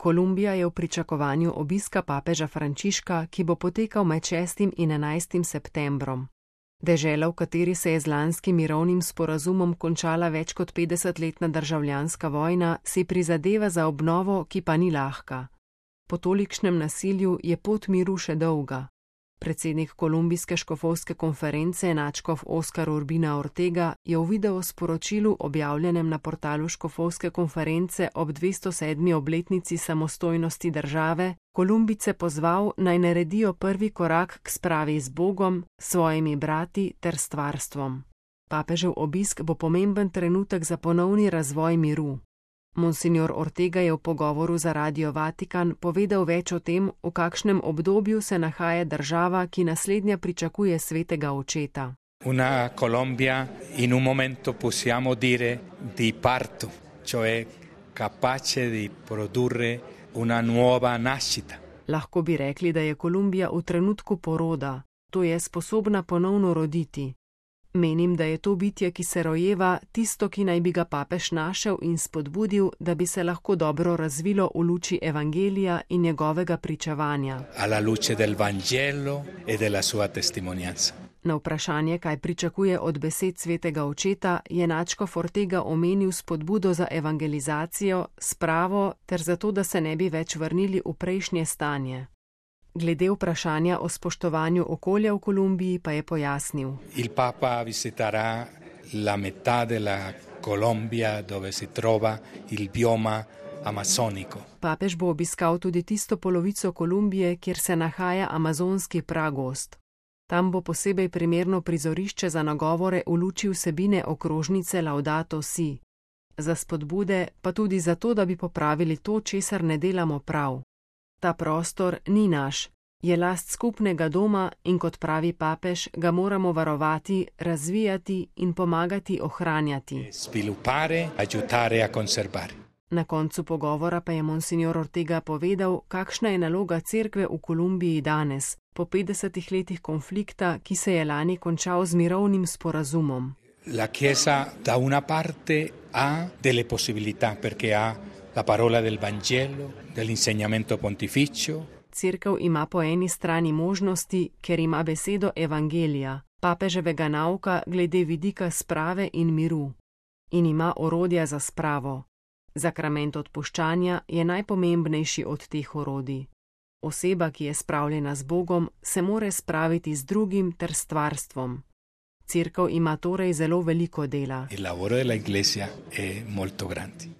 Kolumbija je v pričakovanju obiska papeža Frančiška, ki bo potekal med 6. in 11. septembrom. Dežela, v kateri se je z lanskim mirovnim sporazumom končala več kot 50-letna državljanska vojna, si prizadeva za obnovo, ki pa ni lahka. Po tolikšnem nasilju je pot miru še dolga. Predsednik kolumbijske škofovske konference nadškof Oscar Urbina Ortega je v videosporočilu objavljenem na portalu škofovske konference ob 207. obletnici samostojnosti države Kolumbijce pozval, naj naredijo prvi korak k spravi z Bogom, svojimi brati ter stvarstvom. Papežev obisk bo pomemben trenutek za ponovni razvoj miru. Monsignor Ortega je v pogovoru za Radio Vatikan povedal več o tem, v kakšnem obdobju se nahaja država, ki naslednja pričakuje svetega očeta. Una Colombia in un momento possiamo dire di parto, cioè capace di produrre una nuova nascita. Lahko bi rekli, da je Kolumbija v trenutku poroda, to je sposobna ponovno roditi. Menim, da je to bitje, ki se rojeva, tisto, ki naj bi ga papež našel in spodbudil, da bi se lahko dobro razvilo v luči evangelija in njegovega pričevanja. Alla luce del Vangelo e della sua testimonianza. Na vprašanje, kaj pričakuje od besed svetega očeta, je nadškof Ortega omenil spodbudo za evangelizacijo, spravo ter zato, da se ne bi več vrnili v prejšnje stanje. Glede vprašanja o spoštovanju okolja v Kolumbiji pa je pojasnil. Il Papa visiterà la metà della Colombia dove si trova il bioma amazonico. Papež bo obiskal tudi tisto polovico Kolumbije, kjer se nahaja amazonski pragost. Tam bo posebej primerno prizorišče za nagovore v luči vsebine okrožnice Laudato Si. Za spodbude pa tudi zato, da bi popravili to, česar ne delamo prav. Ta prostor ni naš, je last skupnega doma in kot pravi papež, ga moramo varovati, razvijati in pomagati ohranjati. Sviluppare, aiutare a conservare. Na koncu pogovora pa je monsignor Ortega povedal, kakšna je naloga cerkve v Kolumbiji danes, po 50 letih konflikta, ki se je lani končal z mirovnim sporazumom. La Chiesa da una parte ha delle possibilità perché ha la parola del Vangelo, dell'insegnamento pontificio. Cerkev ima po eni strani možnosti, ker ima besedo evangelija, papeževega nauka glede vidika sprave in miru. In ima orodja za spravo. Zakrament odpuščanja je najpomembnejši od teh orodij. Oseba, ki je spravljena z Bogom, se more spraviti z drugim ter stvarstvom. Cerkev ima torej zelo veliko dela. Il lavoro della Iglesia è molto grande.